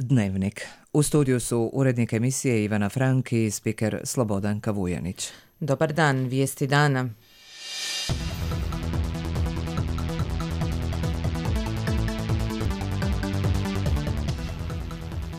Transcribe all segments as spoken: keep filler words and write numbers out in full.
Dnevnik. U studiju su urednik emisije Ivana Frank i spiker Slobodanka Vujanić. Dobar dan, vijesti dana.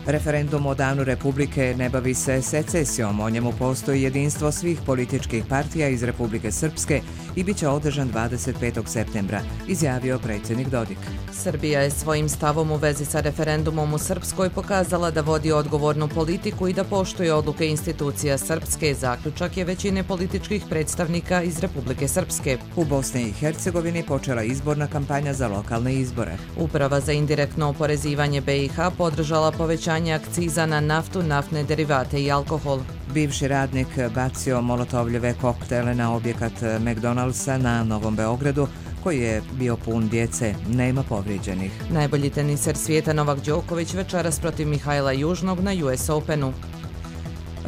Referendum o Danu Republike ne bavi se secesijom, o njemu postoji jedinstvo svih političkih partija iz Republike Srpske i bit će održan dvadeset petog septembra, izjavio predsjednik Dodik. Srbija je svojim stavom u vezi sa referendumom u Srpskoj pokazala da vodi odgovornu politiku i da poštuje odluke institucija Srpske, zaključak je većine političkih predstavnika iz Republike Srpske. U Bosni i Hercegovini počela izborna kampanja za lokalne izbore. Uprava za indirektno oporezivanje B i H podržala povećanje akciza na naftu, naftne derivate i alkohol. Bivši radnik bacio molotovljeve koktele na objekat McDonald'sa na Novom Beogradu, koji je bio pun djece. Nema povrijeđenih. Najbolji teniser svijeta Novak Đoković večeras protiv Mihajla Južnog na U S Openu.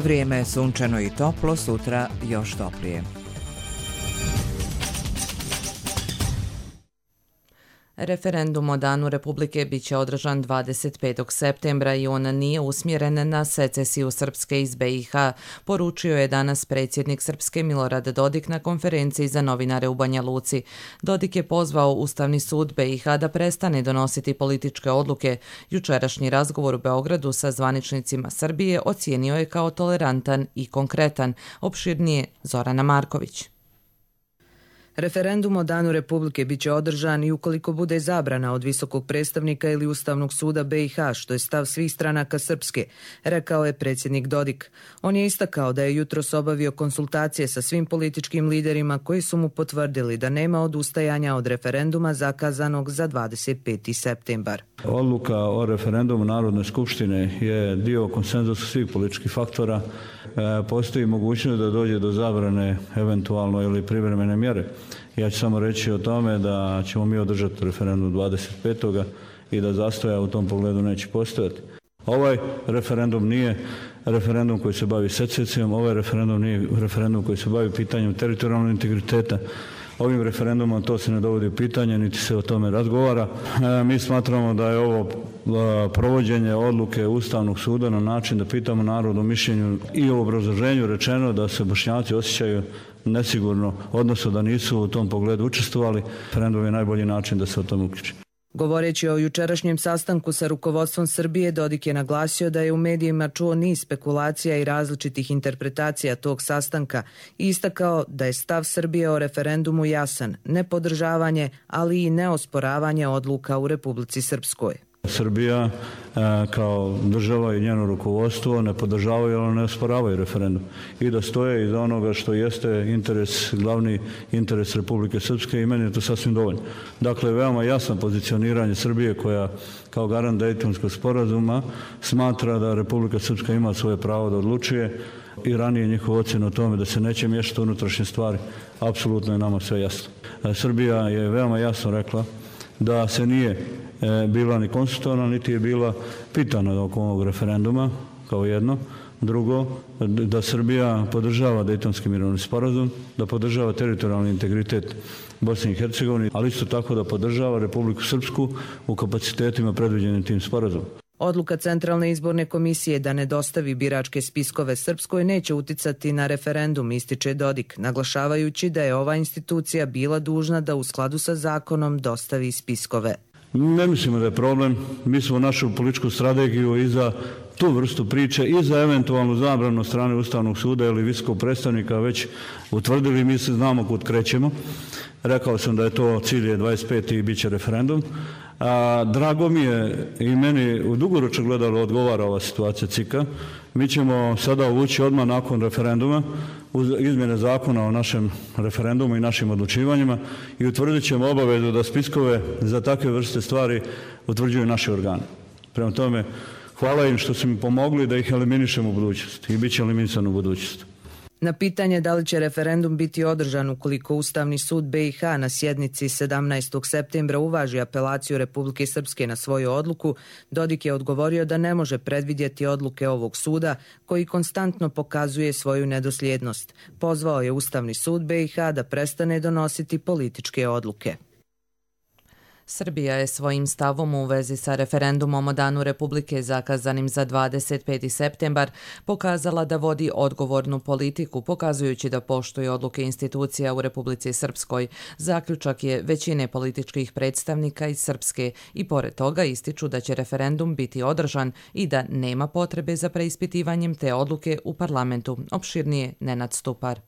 Vrijeme je sunčano i toplo, sutra još toplije. Referendum o Danu Republike bit će održan dvadeset petog septembra i on nije usmjeren na secesiju Srpske iz B i H, poručio je danas predsjednik Srpske Milorad Dodik na konferenciji za novinare u Banja Luci. Dodik je pozvao Ustavni sud B i H da prestane donositi političke odluke. Jučerašnji razgovor u Beogradu sa zvaničnicima Srbije ocijenio je kao tolerantan i konkretan. Opširnije Zorana Marković. Referendum o Danu Republike bit će održan i ukoliko bude zabrana od visokog predstavnika ili Ustavnog suda B i H, što je stav svih stranaka Srpske, rekao je predsjednik Dodik. On je istakao da je jutros obavio konsultacije sa svim političkim liderima koji su mu potvrdili da nema odustajanja od referenduma zakazanog za dvadeset peti septembar. Odluka o referendumu Narodne skupštine je dio konsenzusa svih političkih faktora. E, postoji mogućnost da dođe do zabrane eventualno ili privremene mjere. Ja ću samo reći o tome da ćemo mi održati referendum dvadeset petog i da zastoja u tom pogledu neće postojati. Ovaj referendum nije referendum koji se bavi secesijom, ovaj referendum nije referendum koji se bavi pitanjem teritorijalnog integriteta. Ovim referendumom to se ne dovodi u pitanje, niti se o tome razgovara. E, mi smatramo da je ovo a, provođenje odluke Ustavnog suda na način da pitamo narod o mišljenju i o obrazloženju rečeno da se Bošnjaci osjećaju nesigurno, odnosno da nisu u tom pogledu učestvovali. Referendum je najbolji način da se o tome uključi. Govoreći o jučerašnjem sastanku sa rukovodstvom Srbije, Dodik je naglasio da je u medijima čuo niz spekulacija i različitih interpretacija tog sastanka i istakao da je stav Srbije o referendumu jasan, nepodržavanje, ali i neosporavanje odluka u Republici Srpskoj. Srbija kao država i njeno rukovodstvo ne podržavaju, ali ne osporavaju referendum i da stoje iza onoga što jeste interes, glavni interes Republike Srpske i meni je to sasvim dovoljno. Dakle, veoma jasno pozicioniranje Srbije koja kao garant Dejtonskog sporazuma smatra da Republika Srpska ima svoje pravo da odlučuje i ranije njihov ocjena o tome da se neće miješati unutrašnje stvari, apsolutno je nama sve jasno. Srbija je veoma jasno rekla da se nije bila ni konsultovana, niti je bila pitana oko ovog referenduma, kao jedno. Drugo, da Srbija podržava Dejtonski mirovni sporazum, da podržava teritorijalni integritet Bosne i Hercegovine, ali isto tako da podržava Republiku Srpsku u kapacitetima predviđenim tim sporazumom. Odluka Centralne izborne komisije da ne dostavi biračke spiskove Srpskoj neće uticati na referendum, ističe Dodik, naglašavajući da je ova institucija bila dužna da u skladu sa zakonom dostavi spiskove. Ne mislimo da je problem. Mi smo našu političku strategiju i za tu vrstu priče i za eventualnu zabranu strane Ustavnog suda ili visokog predstavnika već utvrdili. Mi se znamo kud krećemo. Rekao sam da je to cilj je dvadeset peti i bit će referendum. A, drago mi je i meni u dugoročno gledalo odgovara ova situacija C I K-a. Mi ćemo sada uvući odmah nakon referenduma uz izmjene zakona o našem referendumu i našim odlučivanjima i utvrdit ćemo obavezu da spiskove za takve vrste stvari utvrđuju naši organi. Prema tome, hvala im što su mi pomogli da ih eliminišemo u budućnosti i bit će eliminisan u budućnosti. Na pitanje da li će referendum biti održan ukoliko Ustavni sud B i H na sjednici sedamnaestog septembra uvaži apelaciju Republike Srpske na svoju odluku, Dodik je odgovorio da ne može predvidjeti odluke ovog suda koji konstantno pokazuje svoju nedosljednost. Pozvao je Ustavni sud B i H da prestane donositi političke odluke. Srbija je svojim stavom u vezi sa referendumom o Danu Republike zakazanim za dvadeset peti septembar pokazala da vodi odgovornu politiku, pokazujući da poštuje odluke institucija u Republici Srpskoj. Zaključak je većine političkih predstavnika iz Srpske i pored toga ističu da će referendum biti održan i da nema potrebe za preispitivanjem te odluke u parlamentu. Opširnije Nenad Stupar.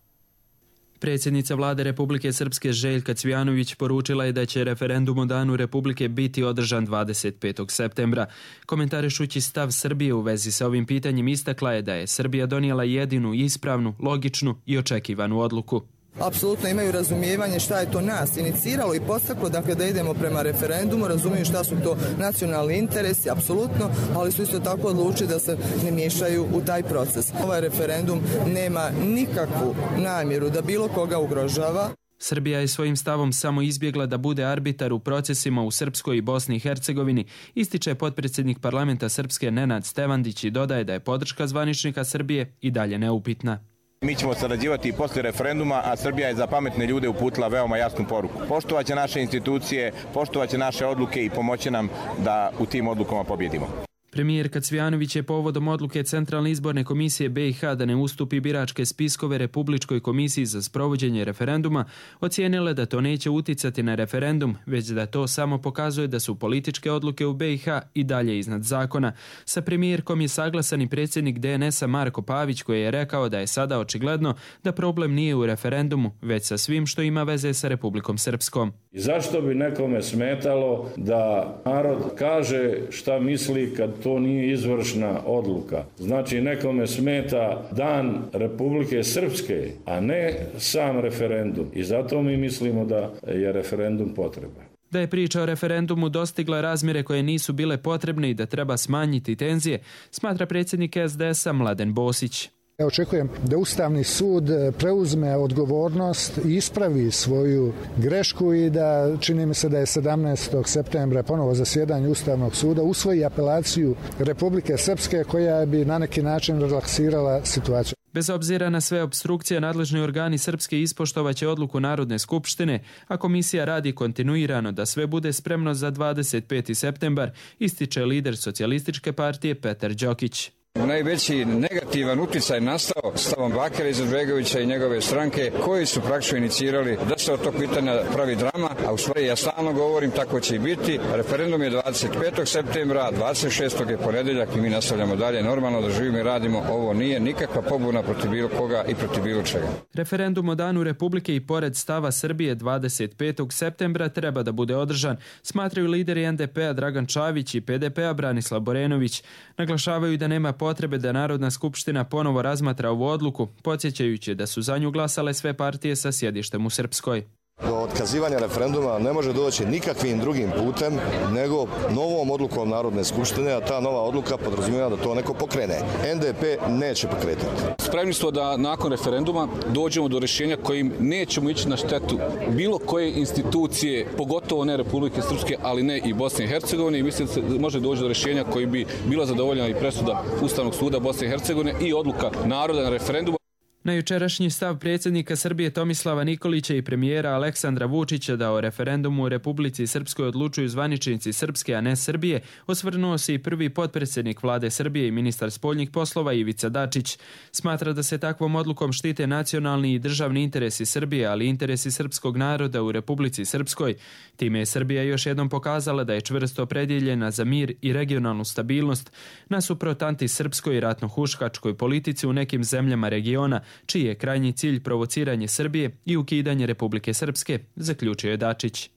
Predsjednica vlade Republike Srpske Željka Cvijanović poručila je da će referendum o Danu Republike biti održan dvadeset petog septembra. Komentarišući stav Srbije u vezi sa ovim pitanjem istakla je da je Srbija donijela jedinu, ispravnu, logičnu i očekivanu odluku. Apsolutno imaju razumijevanje šta je to nas iniciralo i postaklo, dakle da idemo prema referendumu, razumiju šta su to nacionalni interesi, apsolutno, ali su isto tako odlučili da se ne miješaju u taj proces. Ovaj referendum nema nikakvu namjeru da bilo koga ugrožava. Srbija je svojim stavom samo izbjegla da bude arbitar u procesima u Srpskoj i Bosni i Hercegovini, ističe potpredsjednik parlamenta Srpske Nenad Stevandić i dodaje da je podrška zvaničnika Srbije i dalje neupitna. Mi ćemo sarađivati i posle referenduma, a Srbija je za pametne ljude uputila veoma jasnu poruku. Poštovaće naše institucije, poštovaće naše odluke i pomoći nam da u tim odlukama pobjedimo. Premijerka Cvijanović je povodom odluke Centralne izborne komisije B i H da ne ustupi biračke spiskove Republičkoj komisiji za sprovođenje referenduma ocijenila da to neće uticati na referendum, već da to samo pokazuje da su političke odluke u B i H i dalje iznad zakona. Sa premijerkom je saglasan i predsjednik D N S-a Marko Pavić koji je rekao da je sada očigledno da problem nije u referendumu, već sa svim što ima veze sa Republikom Srpskom. I zašto bi nekome smetalo da narod kaže šta misli kad to nije izvršna odluka? Znači nekome smeta Dan Republike Srpske, a ne sam referendum. I zato mi mislimo da je referendum potreban. Da je priča o referendumu dostigla razmjere koje nisu bile potrebne i da treba smanjiti tenzije, smatra predsjednik S D S-a Mladen Bosić. Ja očekujem da Ustavni sud preuzme odgovornost i ispravi svoju grešku i da, čini mi se da je sedamnaestog septembra ponovo zasjedanje Ustavnog suda, usvoji apelaciju Republike Srpske koja bi na neki način relaksirala situaciju. Bez obzira na sve opstrukcije, nadležni organi Srpske ispoštovaće odluku Narodne skupštine, a komisija radi kontinuirano da sve bude spremno za dvadeset peti septembar, ističe lider Socijalističke partije Petar Đokić. Najveći negativan utjecaj nastao stavom Bakira Izetbegovića i njegove stranke koji su praktično inicirali da se od tog pitanja pravi drama, a u stvari ja stalno govorim tako će i biti. Referendum je dvadeset petog septembra, dvadeset šestog je ponedjeljak i mi nastavljamo dalje normalno da živimo i radimo. Ovo nije nikakva pobuna protiv bilo koga i protiv bilo čega. Referendum o Danu Republike i pored stava Srbije dvadeset petog septembra treba da bude održan, smatraju lideri N D P-a Dragan Čavić i P D P-a Branislav Borenović. Naglašavaju da nema potrebe da Narodna skupština ponovo razmatra ovu odluku, podsjećajući da su za nju glasale sve partije sa sjedištem u Srpskoj. Do otkazivanja referenduma ne može doći nikakvim drugim putem nego novom odlukom Narodne skupštine, a ta nova odluka podrazumijeva da to neko pokrene. N D P neće pokretati. Spremni smo da nakon referenduma dođemo do rješenja kojim nećemo ići na štetu bilo koje institucije, pogotovo ne Republike Srpske, ali ne i Bosne i Hercegovine, i mislim da se može doći do rješenja koji bi bila zadovoljena i presuda Ustavnog suda Bosne i Hercegovine i odluka naroda na referendumu. Na jučerašnji stav predsjednika Srbije Tomislava Nikolića i premijera Aleksandra Vučića da o referendumu u Republici Srpskoj odlučuju zvaničnici Srpske, a ne Srbije, osvrnuo se i prvi potpredsjednik vlade Srbije i ministar spoljnih poslova Ivica Dačić. Smatra da se takvom odlukom štite nacionalni i državni interesi Srbije, ali i interesi srpskog naroda u Republici Srpskoj. Time je Srbija još jednom pokazala da je čvrsto opredjeljena za mir i regionalnu stabilnost, nasuprot antisrpskoj i ratno-huškačkoj politici u nekim zemljama regiona, čiji je krajnji cilj provociranje Srbije i ukidanje Republike Srpske, zaključio je Dačić.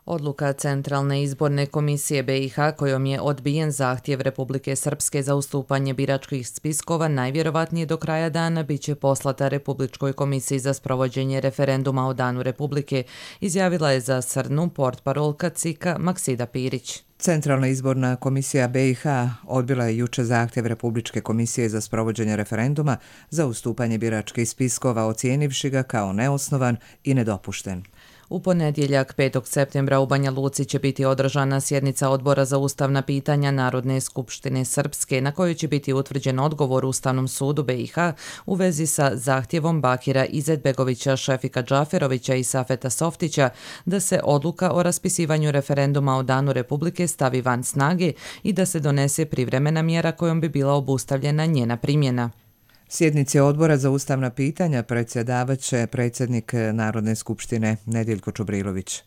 Odluka Centralne izborne komisije B i H kojom je odbijen zahtjev Republike Srpske za ustupanje biračkih spiskova najvjerovatnije do kraja dana biće poslata Republičkoj komisiji za sprovođenje referenduma o Danu Republike, izjavila je za Srnu portparolka C I K-a Maksida Pirić. Centralna izborna komisija B i H odbila je juče zahtjev Republičke komisije za sprovođenje referenduma za ustupanje biračkih spiskova, ocijenivši ga kao neosnovan i nedopušten. U ponedjeljak petog septembra u Banja Luci će biti održana sjednica Odbora za ustavna pitanja Narodne skupštine Srpske, na kojoj će biti utvrđen odgovor Ustavnom sudu B i H u vezi sa zahtjevom Bakira Izetbegovića, Šefika Džaferovića i Safeta Softića da se odluka o raspisivanju referenduma o Danu Republike stavi van snage i da se donese privremena mjera kojom bi bila obustavljena njena primjena. Sjednici Odbora za ustavna pitanja predsjedavat će predsjednik Narodne skupštine Nediljko Čubrilović.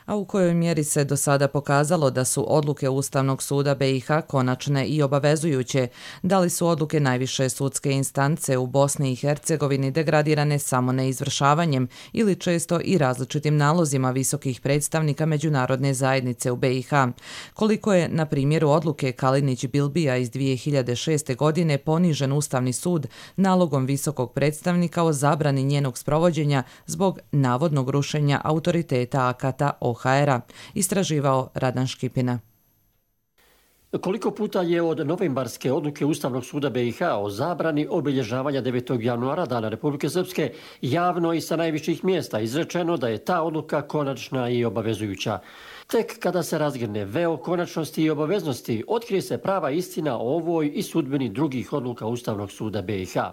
A u kojoj mjeri se do sada pokazalo da su odluke Ustavnog suda B i H konačne i obavezujuće, da li su odluke najviše sudske instance u Bosni i Hercegovini degradirane samo neizvršavanjem ili često i različitim nalozima visokih predstavnika međunarodne zajednice u B i H, koliko je na primjeru odluke Kalinić-Bilbija iz dvije hiljade šeste. godine ponižen Ustavni sud nalogom visokog predstavnika o zabrani njenog sprovođenja zbog navodnog rušenja autoriteta akata O H R-a, istraživao Radan Škipina. Koliko puta je od novembarske odluke Ustavnog suda B i H o zabrani obilježavanja devetog januara Dana Republike Srpske javno i sa najviših mjesta izrečeno da je ta odluka konačna i obavezujuća. Tek kada se razgrne veo konačnosti i obaveznosti, otkrije se prava istina o ovoj i sudbini drugih odluka Ustavnog suda B i H.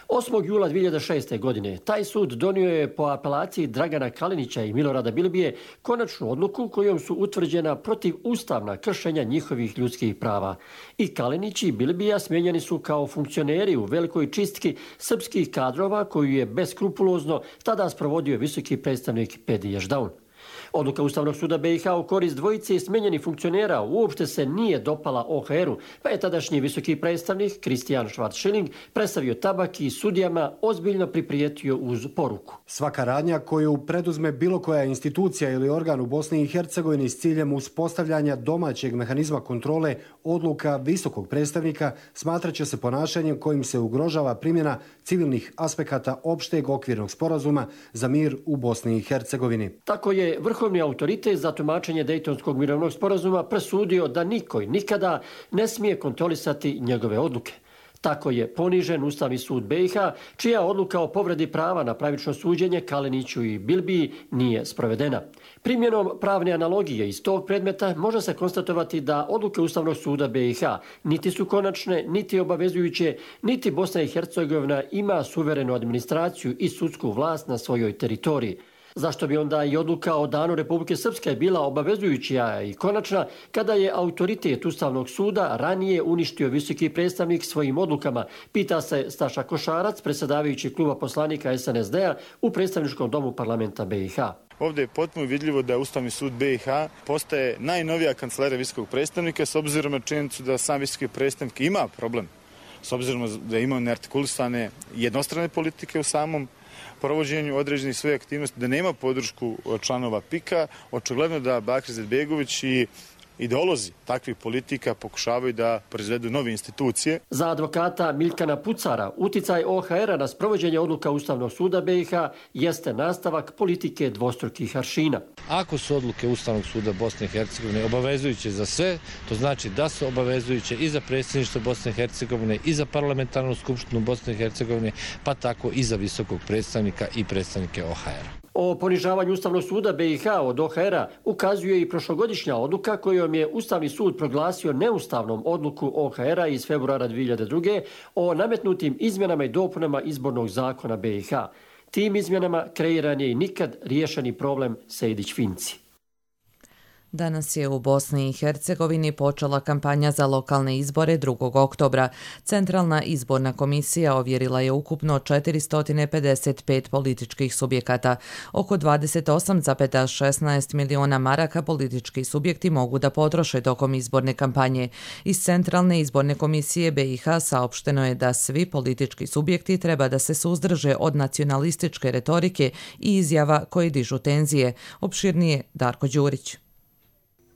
osmog jula dvije hiljade šeste. godine taj sud donio je po apelaciji Dragana Kalinića i Milorada Bilbije konačnu odluku kojom su utvrđena protivustavna kršenja njihovih ljudskih prava. I Kalinić i Bilbija smijenjeni su kao funkcioneri u velikoj čistki srpskih kadrova koju je beskrupulozno tada sprovodio visoki predstavnik Pedi Ješdaun. Odluka Ustavnog suda B i H u korist dvojice smenjenih funkcionera uopšte se nije dopala O H R-u, pa je tadašnji visoki predstavnik Kristijan Schwarz-Schilling predstavio tabak i sudijama ozbiljno priprijetio uz poruku. Svaka radnja koju preduzme bilo koja institucija ili organ u Bosni i Hercegovini s ciljem uspostavljanja domaćeg mehanizma kontrole odluka visokog predstavnika smatraće se ponašanjem kojim se ugrožava primjena civilnih aspekata opšteg okvirnog sporazuma za mir u Bosni i Hercegovini. Tako je Vrhovni autoritet za tumačenje Dejtonskog mirovnog sporazuma presudio da niko i nikada ne smije kontrolisati njegove odluke. Tako je ponižen Ustavni sud B i H, čija odluka o povredi prava na pravično suđenje Kaliniću i Bilbiji nije sprovedena. Primjenom pravne analogije iz tog predmeta može se konstatovati da odluke Ustavnog suda B i H niti su konačne, niti obavezujuće, niti Bosna i Hercegovina ima suverenu administraciju i sudsku vlast na svojoj teritoriji. Zašto bi onda i odluka o Danu Republike Srpske bila obavezujuća i konačna kada je autoritet Ustavnog suda ranije uništio visoki predstavnik svojim odlukama, pita se Staša Košarac, predsjedavajući kluba poslanika S N S D-a u predstavničkom domu parlamenta B i H. Ovdje je potpuno vidljivo da Ustavni sud B i H postaje najnovija kancelarija visokog predstavnika s obzirom na činjenicu da sam visoki predstavnik ima problem, s obzirom da ima neartikulisane jednostrane politike u samom provođenju određenih svoje aktivnosti, da nema podršku članova P I K-a, očigledno da Bakir Izetbegović i ideolozi takvih politika pokušavaju da proizvedu nove institucije. Za advokata Miljkana Pucara, uticaj O H R-a na sprovođenje odluka Ustavnog suda B i H jeste nastavak politike dvostrukih aršina. Ako su odluke Ustavnog suda Bosne i Hercegovine obavezujuće za sve, to znači da su obavezujuće i za predsjedništvo Bosne i Hercegovine, i za parlamentarnu skupštinu Bosne i Hercegovine, pa tako i za visokog predstavnika i predstavnike O H R-a. O ponižavanju Ustavnog suda B i H od O H R-a ukazuje i prošlogodišnja odluka kojom je Ustavni sud proglasio neustavnom odluku O H R-a iz februara dvije hiljade druge. o nametnutim izmjenama i dopunama izbornog zakona B i H. Tim izmjenama kreiran je i nikad riješeni problem Sejdić-Finci. Danas je u Bosni i Hercegovini počela kampanja za lokalne izbore drugog oktobra. Centralna izborna komisija ovjerila je ukupno četiristo pedeset pet političkih subjekata. Oko dvadeset osam zarez šesnaest miliona maraka politički subjekti mogu da potroše tokom izborne kampanje. Iz Centralne izborne komisije B i H saopšteno je da svi politički subjekti treba da se suzdrže od nacionalističke retorike i izjava koje dižu tenzije. Opširnije Darko Đurić.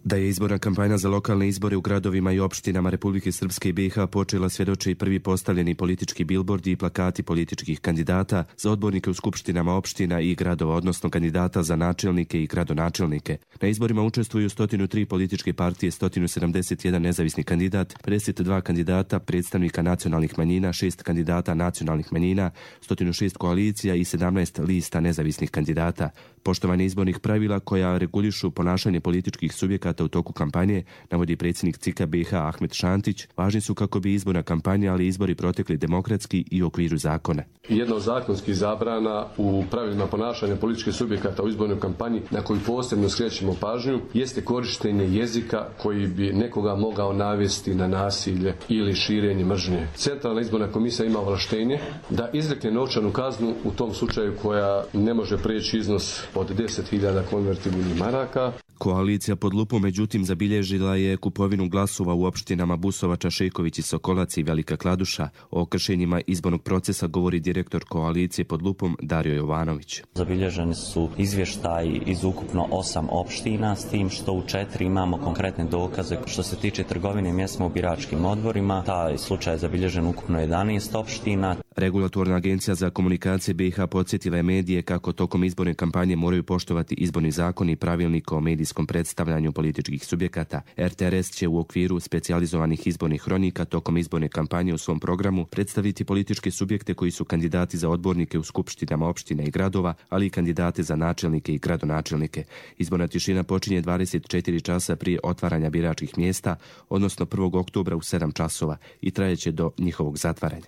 Da je izborna kampanja za lokalne izbore u gradovima i opštinama Republike Srpske i B i H počela svjedoče i prvi postavljeni politički bilbordi i plakati političkih kandidata za odbornike u skupštinama opština i gradova, odnosno kandidata za načelnike i gradonačelnike. Na izborima učestvuju sto tri političke partije, sto sedamdeset jedan nezavisni kandidat, pedeset dva kandidata predstavnika nacionalnih manjina, šest kandidata nacionalnih manjina, sto šest koalicija i sedamnaest lista nezavisnih kandidata. Poštovanje izbornih pravila koja regulišu ponašanje političkih subjekata u toku kampanje, navodi predsjednik C I K-a B i H Ahmed Šantić, važni su kako bi izborna kampanja, ali izbori protekli demokratski i u okviru zakona. Jedna od zakonskih zabrana u pravilima ponašanja političkih subjekata u izbornoj kampanji na koju posebno skrećemo pažnju jeste korištenje jezika koji bi nekoga mogao navesti na nasilje ili širenje mržnje. Centralna izborna komisija ima ovlaštenje da izrekne novčanu kaznu u tom slučaju koja ne može prijeći iznos od deset hiljada konvertibilnih maraka. Koalicija pod lupom međutim zabilježila je kupovinu glasova u opštinama Busovača, Šejković i Sokolac i Velika Kladuša. O kršenjima izbornog procesa govori direktor koalicije pod lupom Dario Jovanović. Zabilježeni su izvještaji iz ukupno osam opština, s tim što u četiri imamo konkretne dokaze. Što se tiče trgovine mjestima u biračkim odborima, taj slučaj je zabilježen ukupno jedanaest opština. Regulatorna agencija za komunikacije B i H podsjetila je medije kako tokom izborne kampanje moraju poštovati izborni zakon i pravilnik o medijskom predstavljanju političkih subjekata. R T R S će u okviru specijalizovanih izbornih hronika tokom izborne kampanje u svom programu predstaviti političke subjekte koji su kandidati za odbornike u skupštinama opština i gradova, ali i kandidate za načelnike i gradonačelnike. Izborna tišina počinje dvadeset četiri časa prije otvaranja biračkih mjesta, odnosno prvog oktobra u sedam časova i trajeće do njihovog zatvaranja.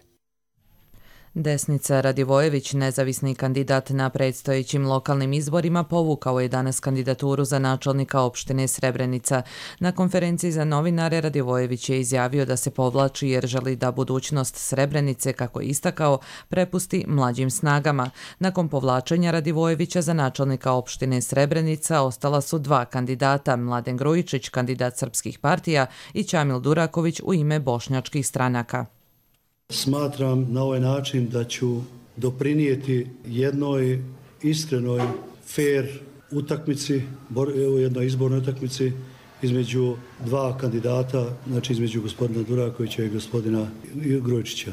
Desnica Radivojević, nezavisni kandidat na predstojećim lokalnim izborima, povukao je danas kandidaturu za načelnika opštine Srebrenica. Na konferenciji za novinare Radivojević je izjavio da se povlači jer želi da budućnost Srebrenice, kako je istakao, prepusti mlađim snagama. Nakon povlačenja Radivojevića za načelnika opštine Srebrenica ostala su dva kandidata, Mladen Grujičić, kandidat srpskih partija, i Ćamil Duraković u ime bošnjačkih stranaka. Smatram na ovaj način da ću doprinijeti jednoj iskrenoj, fair utakmici, u jednoj izbornoj utakmici između dva kandidata, znači između gospodina Durakovića i gospodina Grujičića.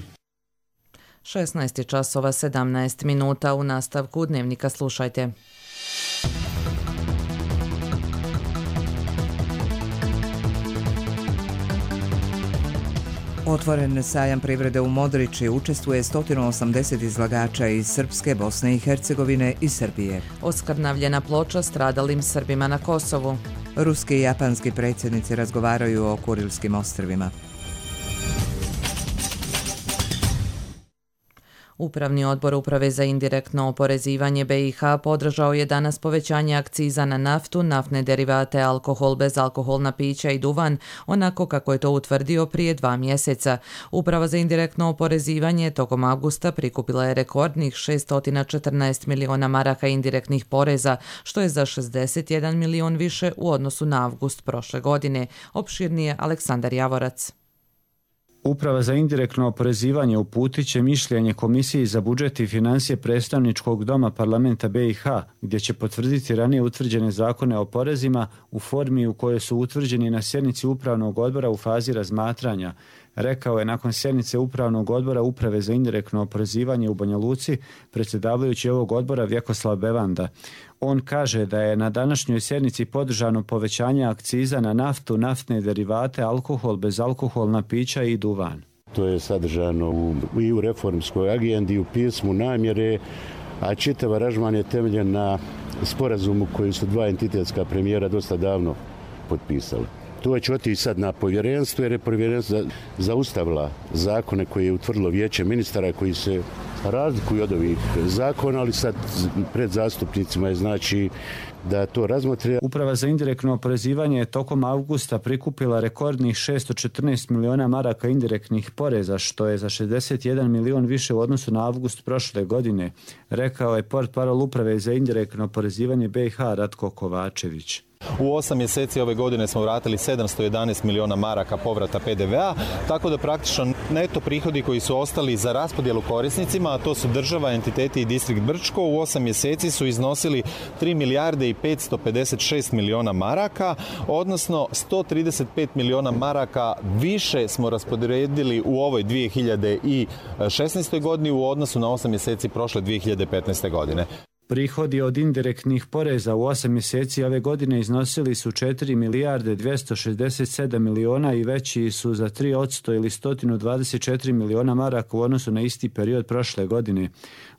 šesnaest časova sedamnaest minuta. U nastavku Dnevnika slušajte. Otvoren sajam privrede u Modriči, učestvuje sto osamdeset izlagača iz Srpske, Bosne i Hercegovine i Srbije. Oskrnavljena ploča stradalim Srbima na Kosovu. Ruski i japanski predsjednici razgovaraju o Kurilskim ostrvima. Upravni odbor Uprave za indirektno oporezivanje B i H podržao je danas povećanje akciza na naftu, naftne derivate, alkohol, bezalkoholna pića i duvan, onako kako je to utvrdio prije dva mjeseca. Uprava za indirektno oporezivanje tokom avgusta prikupila je rekordnih šessto četrnaest miliona maraka indirektnih poreza, što je za šezdeset jedan milion više u odnosu na avgust prošle godine. Opširnije Aleksandar Javorac. Uprava za indirektno oporezivanje uputit će mišljenje Komisiji za budžet i financije predstavničkog doma parlamenta B i H, gdje će potvrditi ranije utvrđene zakone o porezima u formi u kojoj su utvrđeni na sjednici Upravnog odbora u fazi razmatranja, rekao je nakon sjednice Upravnog odbora Uprave za indirektno oporezivanje u Banja Luci predsjedavajući ovog odbora Vjekoslav Bevanda. On kaže da je na današnjoj sjednici podržano povećanje akciza na naftu, naftne derivate, alkohol, bezalkoholna pića i duvan. To je sadržano u, i u reformskoj agendi, u pismu namjere, a čitav aranžman je temeljen na sporazumu koji su dva entitetska premijera dosta davno potpisali. To će otići sad na povjerenstvo, jer je povjerenstvo zaustavila zakone koje je utvrdilo vijeće ministara koji se razlikuju od ovih zakona, ali sad pred zastupnicima je znači da to razmotre. Uprava za indirektno oporezivanje je tokom avgusta prikupila rekordnih šessto četrnaest miliona maraka indirektnih poreza, što je za šezdeset jedan milion više u odnosu na avgust prošle godine, rekao je portparol Uprave za indirektno oporezivanje B i H Ratko Kovačević. U osam mjeseci ove godine smo vratili sedamsto jedanaest miliona maraka povrata P D V-a, tako da praktično neto prihodi koji su ostali za raspodjelu korisnicima, a to su država, entiteti i distrikt Brčko, u osam mjeseci su iznosili tri milijarde i petsto pedeset šest miliona maraka, odnosno sto trideset pet miliona maraka više smo rasporedili u ovoj dvije hiljade šesnaestoj godini u odnosu na osam mjeseci prošle dvije hiljade petnaeste godine. Prihodi od indirektnih poreza u osam mjeseci ove godine iznosili su četiri milijarde dvjesto šezdeset sedam miliona i veći su za tri posto ili sto dvadeset četiri miliona maraka u odnosu na isti period prošle godine.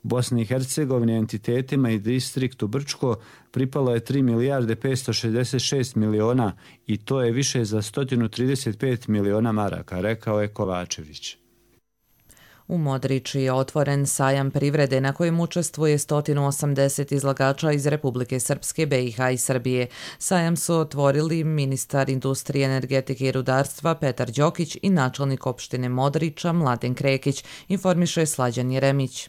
Bosni i Hercegovini, entitetima i distriktu Brčko pripalo je tri milijarde petsto šezdeset šest miliona i to je više za sto trideset pet miliona maraka, rekao je Kovačević. U Modriči je otvoren sajam privrede na kojem učestvuje sto osamdeset izlagača iz Republike Srpske, B i H i Srbije. Sajam su otvorili ministar industrije, energetike i rudarstva Petar Đokić i načelnik opštine Modriča Mladen Krekić, informiše Slađan Jeremić.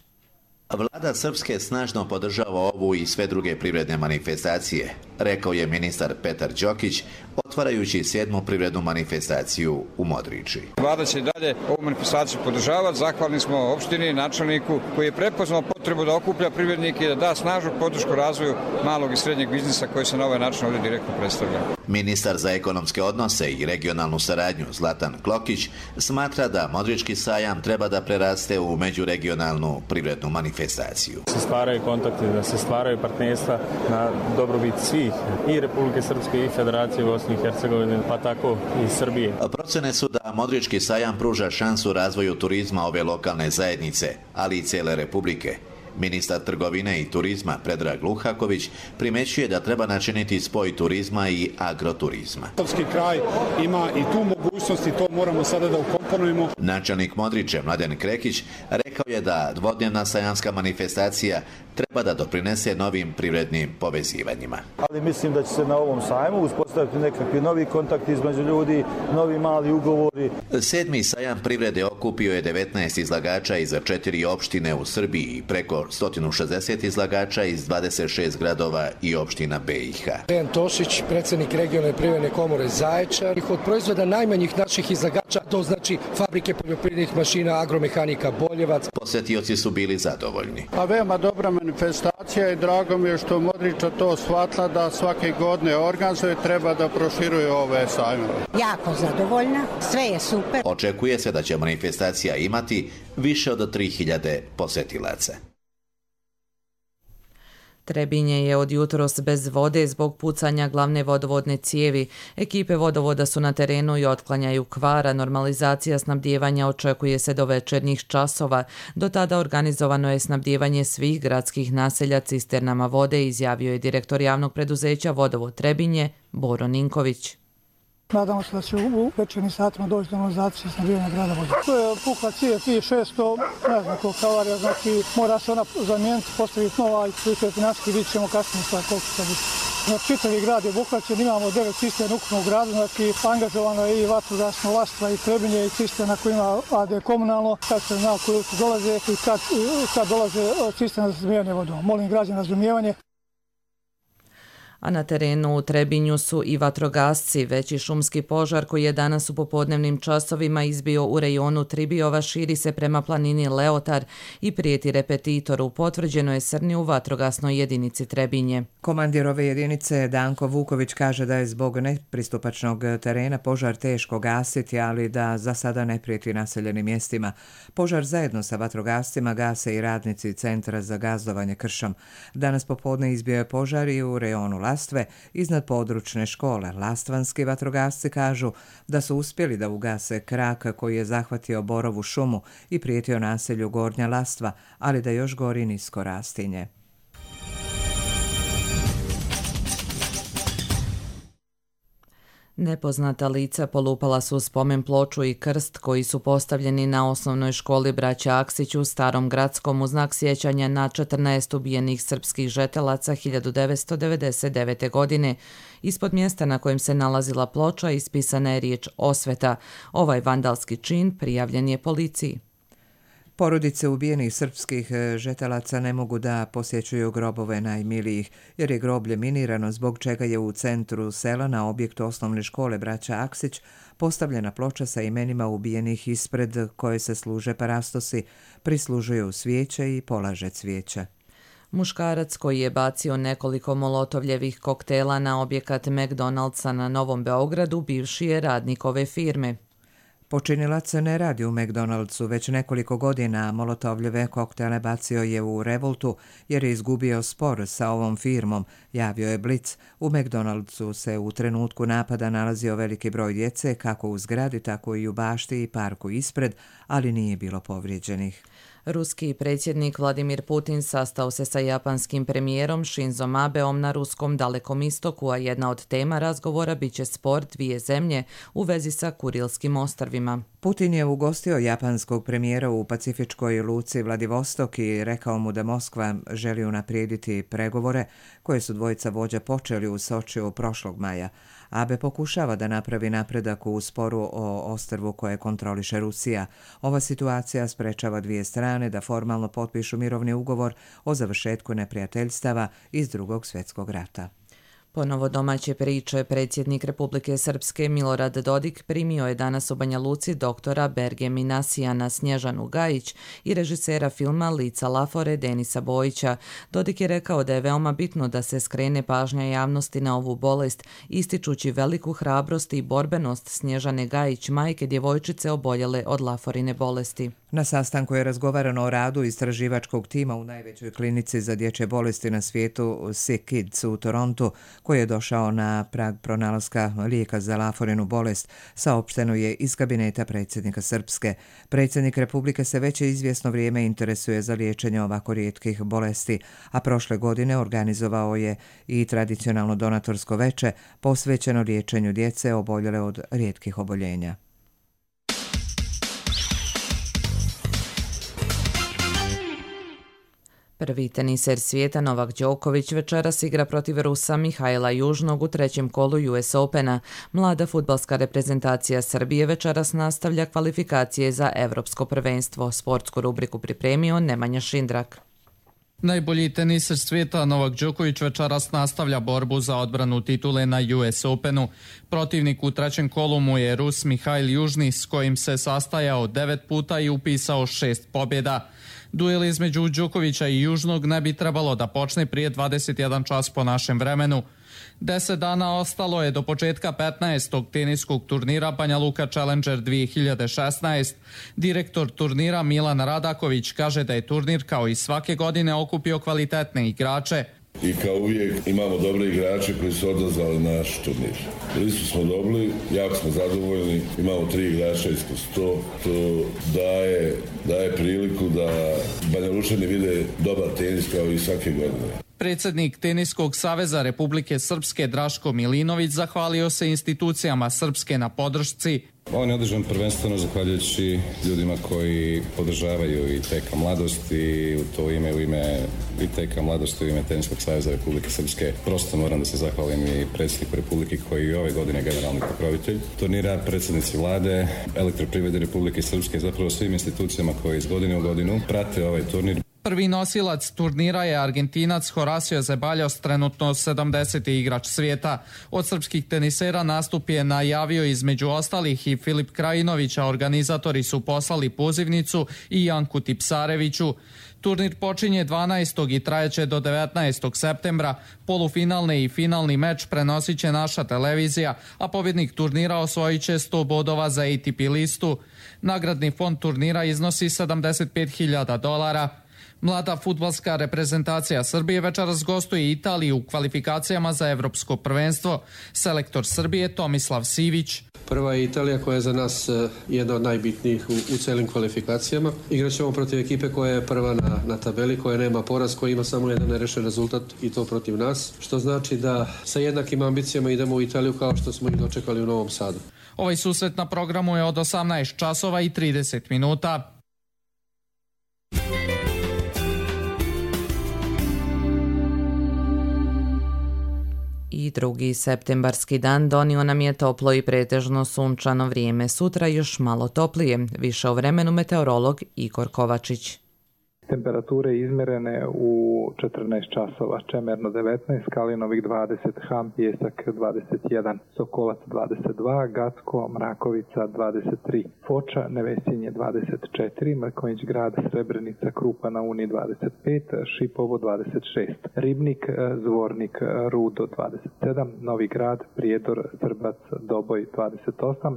Vlada Srpske snažno podržava ovu i sve druge privredne manifestacije, rekao je ministar Petar Đokić, otvarajući sedmu privrednu manifestaciju u Modriči. Vlada će dalje ovu manifestaciju podržavati. Zahvalni smo opštini i načelniku koji je prepoznao potrebu da okuplja privrednike i da da snažnu podršku razvoju malog i srednjeg biznisa koji se na ovaj način ovdje direktno predstavlja. Ministar za ekonomske odnose i regionalnu saradnju Zlatan Klokić smatra da Modrički sajam treba da preraste u međuregionalnu privrednu manifestaciju. Se stvaraju kontakti, da se stvaraju partnerstva na dobrobit svih i Republike Srpske i Federacije Bosne i Hercegovine, pa tako i Srbije. Procene su da Modrički sajam pruža šansu razvoju turizma ove lokalne zajednice, ali i cele Republike. Ministar trgovine i turizma Predrag Luhaković primećuje da treba načiniti spoj turizma i agroturizma. Srpski kraj ima i tu mogućnost i to moramo sada da ukomponujemo. Načelnik Modriče Mladen Krekić rekao je da dvodnevna sajamska manifestacija treba da doprinese novim privrednim povezivanjima. Ali mislim da će se na ovom sajmu uspostaviti nekakvi novi kontakti između ljudi, novi mali ugovori. Sedmi sajam privrede okupio je devetnaest izlagača iz četiri opštine u Srbiji i preko sto šezdeset izlagača iz dvadeset šest gradova i opština B i H. Dejan Tošić, predsjednik regionalne privredne komore Zaječar. Od proizvoda najmanjih naših izlagača, to znači fabrike poljoprivrednih mašina, agromehanika Boljevac. Posetioci su bili zadovoljni. A veoma dobra manifestacija i drago mi je što Modriča to shvatila da svake godine organizuje, treba da proširuje ove sajmove. Jako zadovoljna, sve je super. Očekuje se da će manifestacija imati više od tri hiljade posetilaca. Trebinje je od jutros bez vode zbog pucanja glavne vodovodne cijevi. Ekipe vodovoda su na terenu i otklanjaju kvara. Normalizacija snabdijevanja očekuje se do večernjih časova. Do tada organizovano je snabdijevanje svih gradskih naselja cisternama vode, izjavio je direktor javnog preduzeća Vodovod Trebinje Boro Ninković. Nadamo se da će u večernim satima doći do normalizacije snabdijevanja grada vode. To je pukla cijev P šesto, ne znam koliko havarija, znači mora se ona zamijeniti, postaviti nova i koliko je financijski, vidjet ćemo kasnije sad koliko će biti. Znači, čitavi grad je obuhvaćen, imamo devet cisterna ukupno u gradu, znači angažovano je i vatrogasno Lastva i Trebinje i cisterna koja ima A D komunalno, kad se zna koji dolaze i kad, kad dolaze cisterna za snabdijevanje vodom. Molim građana razumijevanje. A na terenu u Trebinju su i vatrogasci. Veći šumski požar koji je danas u popodnevnim časovima izbio u rejonu Tribijova širi se prema planini Leotar i prijeti repetitoru. Potvrđeno je srni u vatrogasnoj jedinici Trebinje. Komandir ove jedinice Danko Vuković kaže da je zbog nepristupačnog terena požar teško gasiti, ali da za sada ne prijeti naseljenim mjestima. Požar zajedno sa vatrogascima gase i radnici Centra za gazdovanje kršom. Danas popodne izbio je požar i u rejonu Lastve iznad područne škole. Lastvanski vatrogasci kažu da su uspjeli da ugase krak koji je zahvatio Borovu šumu i prijetio naselju Gornja Lastva, ali da još gori nisko rastinje. Nepoznata lica polupala su spomen ploču i krst koji su postavljeni na osnovnoj školi Braća Aksić u Starom Gradskom u znak sjećanja na četrnaest ubijenih srpskih žetelaca hiljadu devetsto devedeset devete. godine. Ispod mjesta na kojem se nalazila ploča ispisana je riječ osveta. Ovaj vandalski čin prijavljen je policiji. Porodice ubijenih srpskih žetelaca ne mogu da posjećuju grobove najmilijih, jer je groblje minirano, zbog čega je u centru sela na objektu osnovne škole Braća Aksić postavljena ploča sa imenima ubijenih ispred koje se služe parastosi, prislužuju svijeće i polaže cvijeće. Muškarac koji je bacio nekoliko molotovljevih koktela na objekat McDonald'sa na Novom Beogradu bivši je radnik ove firme. Počinilac ne radi u McDonald'su već nekoliko godina, molotovljeve koktele bacio je u revoltu jer je izgubio spor sa ovom firmom, javio je Blic. U McDonald'su se u trenutku napada nalazio veliki broj djece, kako u zgradi, tako i u bašti i parku ispred, ali nije bilo povrijeđenih. Ruski predsjednik Vladimir Putin sastao se sa japanskim premijerom Shinzom Abeom na ruskom Dalekom istoku, a jedna od tema razgovora biće spor dvije zemlje u vezi sa Kurilskim ostrvima. Putin je ugostio japanskog premijera u pacifičkoj luci Vladivostok i rekao mu da Moskva želi unaprijediti pregovore koje su dvojica vođa počeli u Sočiju prošlog maja. Abe pokušava da napravi napredak u sporu o ostrvu koje kontroliše Rusija. Ova situacija sprečava dvije strane da formalno potpišu mirovni ugovor o završetku neprijateljstava iz Drugog svjetskog rata. Ponovo domaće priče, predsjednik Republike Srpske Milorad Dodik primio je danas u Banja Luci doktora Berge Minasijana Snježanu Gajić i režisera filma Lica Lafore Denisa Bojića. Dodik je rekao da je veoma bitno da se skrene pažnja javnosti na ovu bolest, ističući veliku hrabrost i borbenost Snježane Gajić, majke djevojčice oboljele od Laforine bolesti. Na sastanku je razgovarano o radu istraživačkog tima u najvećoj klinici za dječje bolesti na svijetu Sick Kids u Torontu, koji je došao na prag pronalaska lijeka za Laforinu bolest, saopšteno je iz kabineta predsjednika Srpske. Predsjednik Republike se već izvjesno vrijeme interesuje za liječenje ovako rijetkih bolesti, a prošle godine organizovao je i tradicionalno donatorsko veče posvećeno liječenju djece oboljele od rijetkih oboljenja. Prvi teniser svijeta Novak Đoković večeras igra protiv Rusa Mihajla Južnog u trećem kolu U S Opena. Mlada fudbalska reprezentacija Srbije večeras nastavlja kvalifikacije za Evropsko prvenstvo. Sportsku rubriku pripremio Nemanja Šindrak. Najbolji teniser svijeta Novak Đoković večeras nastavlja borbu za odbranu titule na U S Openu. Protivnik u trećem kolu mu je Rus Mihajl Južni, s kojim se sastajao devet puta i upisao šest pobjeda. Duel između Đokovića i Južnog ne bi trebalo da počne prije dvadeset jedan čas po našem vremenu. Deset dana ostalo je do početka petnaestog teniskog turnira Banja Luka Challenger dvije hiljade šesnaest. Direktor turnira Milan Radaković kaže da je turnir kao i svake godine okupio kvalitetne igrače. I kao uvijek imamo dobre igrače koji su odazvali na naš turnir. Listu smo dobili, jako smo zadovoljni, imamo tri igrača ispod sto, to daje, daje priliku da Banja Lučani vide dobar tenis kao i svake godine. Predsjednik Teniskog saveza Republike Srpske Draško Milinović zahvalio se institucijama Srpske na podršci. On je održan prvenstveno zahvaljujući ljudima koji podržavaju i T K Mladost i u to ime, u ime i T K Mladost, u ime Teniskog saveza Republike Srpske. Prosto moram da se zahvalim i predsjedniku Republike koji je ove godine generalni pokrovitelj turnira, predsjednici vlade, Elektroprivrede Republike Srpske, zapravo svim institucijama koji iz godine u godinu prate ovaj turnir. Prvi nosilac turnira je Argentinac Horacio Zeballos, trenutno sedamdeseti igrač svijeta. Od srpskih tenisera nastup je najavio između ostalih i Filip Krajinović, a organizatori su poslali pozivnicu i Janku Tipsareviću. Turnir počinje dvanaestog i trajeće do devetnaestog septembra. Polufinalni i finalni meč prenosit će naša televizija, a pobjednik turnira osvojit će sto bodova za A T P listu. Nagradni fond turnira iznosi sedamdeset pet hiljada dolara. Mlada fudbalska reprezentacija Srbije večeras gostuje Italiju u kvalifikacijama za Evropsko prvenstvo. Selektor Srbije Tomislav Sivić. Prva je Italija koja je za nas jedna od najbitnijih u, u celim kvalifikacijama. Igraćemo protiv ekipe koja je prva na, na tabeli, koja nema poraz, koja ima samo jedan nerešen rezultat i to protiv nas. Što znači da sa jednakim ambicijama idemo u Italiju kao što smo ih dočekali u Novom Sadu. Ovaj susret na programu je od osamnaest časova i trideset minuta. I drugi septembarski dan donio nam je toplo i pretežno sunčano vrijeme. Sutra još malo toplije. Više o vremenu meteorolog Igor Kovačić. Temperature izmjerene u četrnaest časova, Čemerno devetnaest, Kalinovik dvadeset, Ham, Pjesak dvadeset jedan, Sokolac dvadeset dva, Gacko, Mrakovica dvadeset tri, Foča, Nevesinje dvadeset četiri, Mrkonjić grad, Srebrenica, Krupa na Uni dvadeset pet, Šipovo dvadeset šest, Ribnik, Zvornik, Rudo dvadeset sedam, Novi grad, Prijedor, Srbac, Doboj dvadeset osam,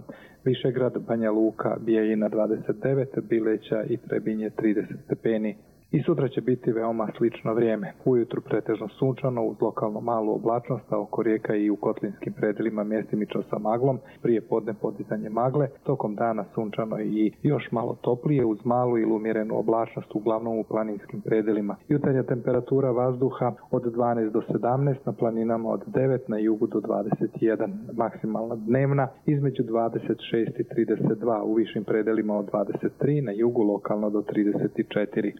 Višegrad, Banja Luka, Bijeljina dvadeset devet, Bileća i Trebinje trideset stepeni. I sutra će biti veoma slično vrijeme. Ujutru pretežno sunčano uz lokalno malu oblačnost, a oko rijeka i u kotlinskim predelima mjestimično sa maglom, prije podne podizanje magle, tokom dana sunčano i još malo toplije uz malu ili umjerenu oblačnost uglavnom u planinskim predelima. Jutarnja temperatura vazduha od dvanaest do sedamnaest, na planinama od devet, na jugu do dvadeset jedan. Maksimalna dnevna između dvadeset šest i trideset dva, u višim predelima od dvadeset tri, na jugu lokalno do trideset četiri.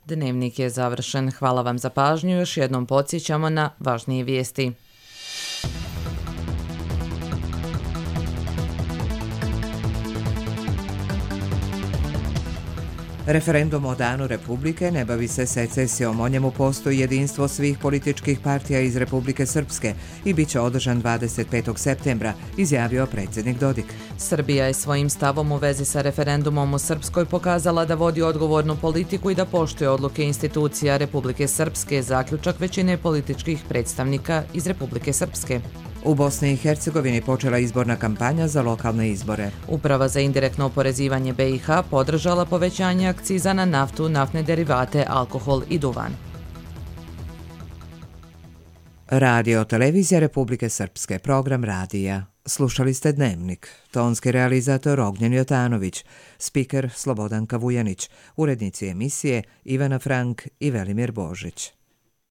Dnevnik je završen. Hvala vam za pažnju. Još jednom podsjećamo na važnije vijesti. Referendum o Danu Republike ne bavi se secesijom, o njemu postoji jedinstvo svih političkih partija iz Republike Srpske i bit će održan dvadeset petog septembra, izjavio predsjednik Dodik. Srbija je svojim stavom u vezi sa referendumom u Srpskoj pokazala da vodi odgovornu politiku i da poštuje odluke institucija Republike Srpske, zaključak većine političkih predstavnika iz Republike Srpske. U Bosni i Hercegovini počela izborna kampanja za lokalne izbore. Uprava za indirektno oporezivanje B i H podržala povećanje akciza na naftu, naftne derivate, alkohol i duvan. Radio televizija Republike Srpske, program radija. Slušali ste Dnevnik. Tonski realizator Ognjen Jotanović, spiker Slobodanka Vujanić, urednici emisije Ivana Frank i Velimir Božić.